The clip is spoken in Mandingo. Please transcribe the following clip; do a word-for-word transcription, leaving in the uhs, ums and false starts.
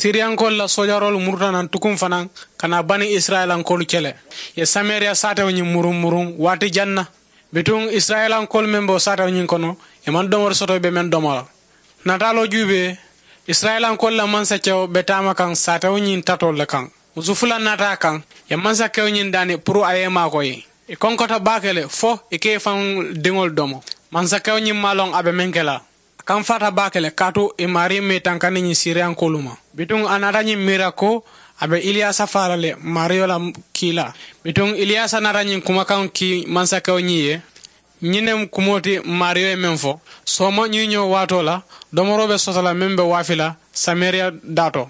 Siriyankoolu la soojaroolu muruta naŋ tukuŋ fanaa ka naa bani isirayilankoolu kele. Ì ye samariya saatewo ñiŋ muruŋ muruŋ waati jaŋ na. Bituŋ isirayilankoolu meŋ be wo saatewo ñiŋ kono, ì maŋ domori soto ì be meŋ domo la. Nataaloo juubee, isirayilankoolu la mansakewo be taama kaŋ saatewo ñiŋ tatoolu le kaŋ. Musu fula naata a kaŋ, ì ye mansakewo ñiŋ daani puru a ye i maakoyi. Ì konkota baake le fo ì ka ì faŋ diŋolu domo. Mansakewo ñiŋ maŋ a loŋ a be meŋ ke la. A kamfaata baake le kaatu ì maarii maŋ ì tankandi ñiŋ siriyankoolu ma. Bituŋ a naata ñiŋ miira ko a be iliyaasa faa la le, maariyo la kiilaa. Bituŋ iliyaasa naata ñiŋ kumakaŋo kii mansakewo ñiŋ ye. Ñiŋ ne mu kumoo ti maariyo ye meŋ fo, sooma ñiiñoo waatoo la, domoroo be soto la meŋ be waafi la samariya daatoo.